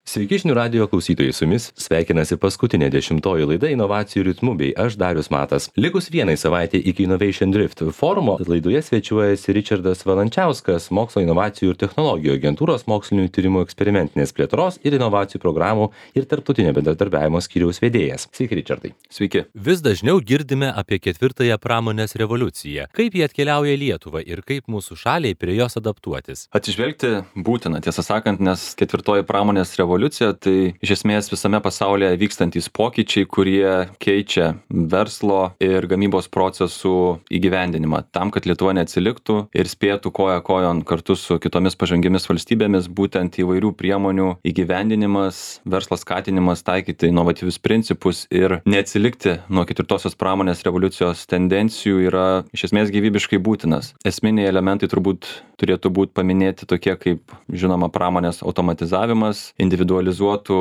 Sveiki žinių radijo klausytojai, su jumis sveikinasi paskutinė 10-oji laida inovacijų ritmu bei aš Darius Matas. Likus vienai savaitė iki Innovation Drift forumo laidoje svečiuojasi Ričardas Valančiauskas, mokslo inovacijų ir technologijų agentūros mokslinių tyrimų eksperimentinės plėtros ir inovacijų programų ir tarptautinio bendradarbiavimo skyriaus vedėjas. Sveiki, Ričardai. Sveiki. Vis dažniau girdime apie ketvirtąją pramonės revoliuciją. Kaip jie atkeliauja į Lietuvą ir kaip mūsų šaliai prie jos adaptuotis? Atsižvelgti būtina, tiesą sakant, nes ketvirtoji pramonės revoliucija tai iš esmės visame pasaulyje vykstantys pokyčiai, kurie keičia verslo ir gamybos procesų įgyvendinimą. Tam, kad Lietuva neatsiliktų ir spėtų koja kojon kartu su kitomis pažangiamis valstybėmis, būtent įvairių priemonių įgyvendinimas, verslo skatinimas, taikyti inovatyvius principus ir neatsilikti nuo ketvirtosios pramonės revoliucijos tendencijų yra iš esmės gyvybiškai būtinas. Esminiai elementai turbūt turėtų būti paminėti tokie kaip, žinoma, pramonės automatizavimas, individualizuotų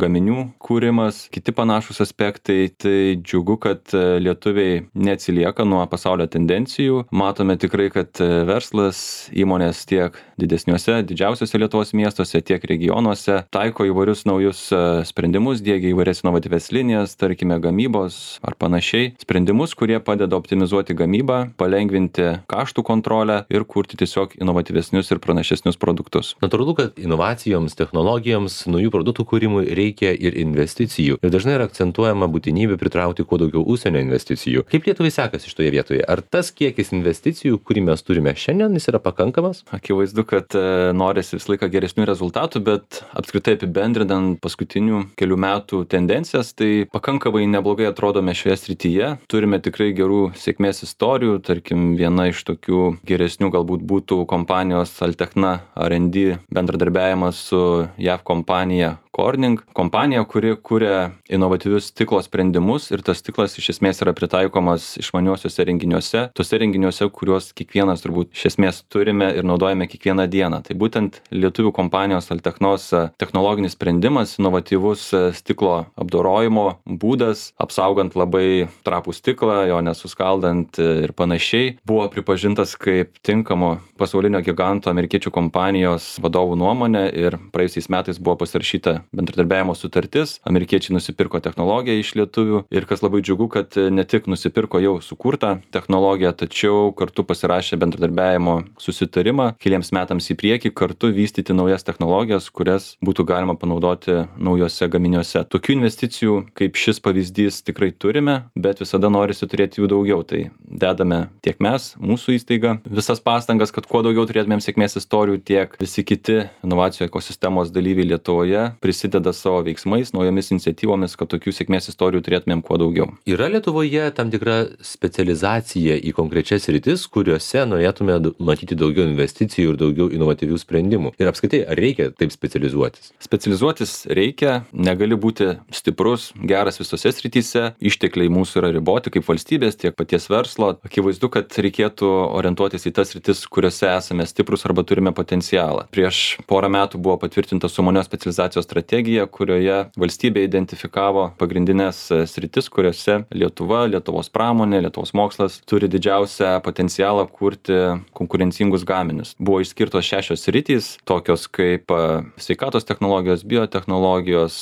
gaminių kūrimas, kiti panašūs aspektai. Tai džiugu, kad lietuviai neatsilieka nuo pasaulio tendencijų. Matome tikrai, kad verslas, įmonės tiek didžiausiuose Lietuvos miestuose, tiek regionuose taiko įvairius naujus sprendimus, diegia įvairias inovatyvias linijas, tarkime gamybos ar panašiai. Sprendimus, kurie padeda optimizuoti gamybą, palengvinti kaštų kontrolę ir kurti tiesiog inovatyvesnius ir pranašesnius produktus. Natūralu, kad inovacijoms, technologijoms, naujų produktų kūrimui reikia ir investicijų. Ir dažnai yra akcentuojama būtinybė pritraukti kuo daugiau užsienio investicijų. Kaip Lietuvai sekasi šitoje vietoje? Ar tas kiekis investicijų, kurį mes turime šiandien, jis yra pakankamas? Akivaizdu, kad norisi visą laiką geresnių rezultatų, bet apskritai apibendrinant paskutinių kelių metų tendencijas, tai pakankamai neblogai atrodome šioje srityje. Turime tikrai gerų sėkmės istorijų. Tarkim, viena iš tokių geresnių galbūt būtų kompanijos Altechna R&D bendradarbiavimas su JAV kompanija Corning. Kompanija, kuri kuria inovatyvius stiklo sprendimus ir tas stiklas iš esmės yra pritaikomas išmaniuosiuose renginiuose, tuose renginiuose, kuriuos kiekvienas turbūt iš esmės turime ir naudojame kiekvieną dieną. Tai būtent lietuvių kompanijos Altechnos technologinis sprendimas, inovatyvus stiklo apdorojimo būdas, apsaugant labai trapų stiklą, jo nesuskaldant ir panašiai, buvo pripažintas kaip tinkamo pasaulinio giganto amerikiečių kompanijos vadovų nuomonė ir praėjusiais metais buvo pasirašyta bendradarbiavimo sutartis. Amerikiečiai nusipirko technologiją iš lietuvių ir kas labai džiugu, kad ne tik nusipirko jau sukurtą technologiją, tačiau kartu pasirašė bendradarbiavimo susitarimą keliems metams į priekį, kartu vystyti naujas technologijas, kurias būtų galima panaudoti naujose gaminiuose. Tokių investicijų kaip šis pavyzdys tikrai turime, bet visada norisi turėti jų daugiau. Tai dedame tiek mes, mūsų įstaiga, visas pastangas, kad kuo daugiau turėtumėm sėkmės istorijų, tiek visi kiti inovacijų ekosistemos dalyviai Lietuvoje prisideda savo veiksmais, naujomis iniciatyvomis, kad tokių sėkmės istorijų turėtumėm kuo daugiau. Yra Lietuvoje tam tikra specializacija į konkrečias sritis, kuriuose norėtume matyti daugiau investicijų ir daugiau inovatyvių sprendimų. Ir apskritai, ar reikia taip specializuotis? Specializuotis reikia, negali būti stiprus, geras visose srityse, ištekliai mūsų yra riboti kaip valstybės, tiek paties verslo. Akivaizdu, kad reikėtų orientuotis į tas sritis, kuriuose esame stiprus arba turime potencialą. Prieš porą metų buvo patvirtinta sumanios specializacijos strategija, kurioje valstybė identifikavo pagrindinės sritis, kuriuose Lietuva, Lietuvos pramonė, Lietuvos mokslas turi didžiausią potencialą kurti konkurencingus gaminius. Buvo išskirtos 6 sritys, tokios kaip sveikatos technologijos, biotechnologijos,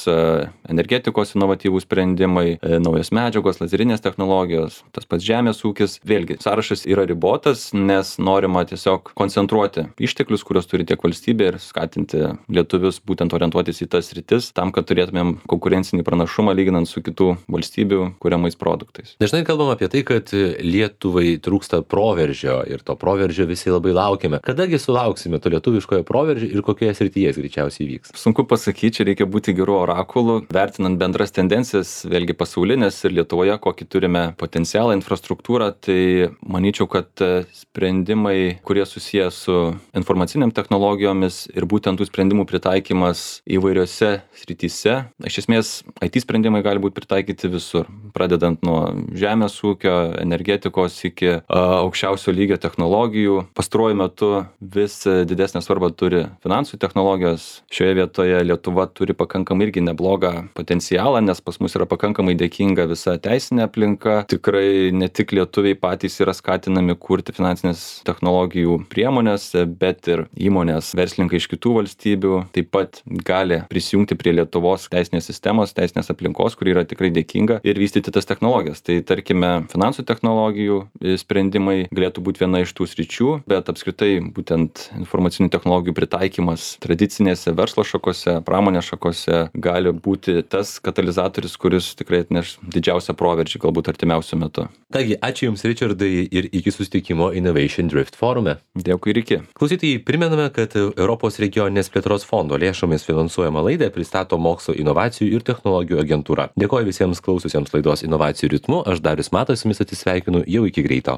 energetikos inovatyvūs sprendimai, naujos medžiagos, lazerinės technologijos, tas pats žemės ūkis. Vėlgi, sąrašas yra ribotas, nes norima tiesiog koncentruoti išteklius, kuriuos turi tiek valstybė ir skatinti lietuvius būtent orientuotis į tas sritis, tam, kad turėtumėm konkurencinį pranašumą lyginant su kitų valstybių kuriamais produktais. Dažnai kalbam apie tai, kad Lietuvai trūksta proveržio ir to proveržio visi labai laukiame. Kadagi sulauksime to lietuviškojo proveržio ir kokioje srityje jis greičiausiai vyks? Sunku pasakyti, čia reikia būti gerų orakulų, vertinant bendras tendencijas, vėlgi pasaulinės ir Lietuvoje, kokį turime potencialą, infrastruktūrą, tai manyčiau, kad sprendimai, kurie susiję su informaciniam technologijomis ir būtent tų sprendimų pritaikymas įvairiose srityse. Iš esmės, IT sprendimai gali būti pritaikyti visur, pradedant nuo žemės ūkio, energetikos iki aukščiausio lygio technologijų. Pastaruoju metu vis didesnę svarbą turi finansų technologijos. Šioje vietoje Lietuva turi pakankamai irgi neblogą potencialą, nes pas mus yra pakankamai dėkinga visa teisinė aplinka. Tikrai ne tik lietuviai patys yra skatinami kurti finansinės technologijų priemonės, bet ir įmonės, verslininkai iš kitų valstybių taip pat gali prisidėti prisijungti prie Lietuvos teisinės sistemos, teisinės aplinkos, kuri yra tikrai dėkinga ir vystyti tas technologijas. Tai tarkime, finansų technologijų sprendimai galėtų būti viena iš tų sričių, bet apskritai būtent informacinių technologijų pritaikymas tradicinėse verslo šakose, pramonės šakose gali būti tas katalizatorius, kuris tikrai atneš didžiausią proveržį galbūt artimiausiu metu. Kągi, ačiū Jums, Richardai, ir iki susitikimo Innovation Drift forume. Dėkui ir iki. Klausytojai, primename, kad Europos regioninės plėtros fondo lėšomis finansuojama laidą pristato Mokslo inovacijų ir technologijų agentūra. Dėkoju visiems klaususiems laidos Inovacijų ritmu, aš Darius Matas, su jumis atsisveikinu, jau iki greito.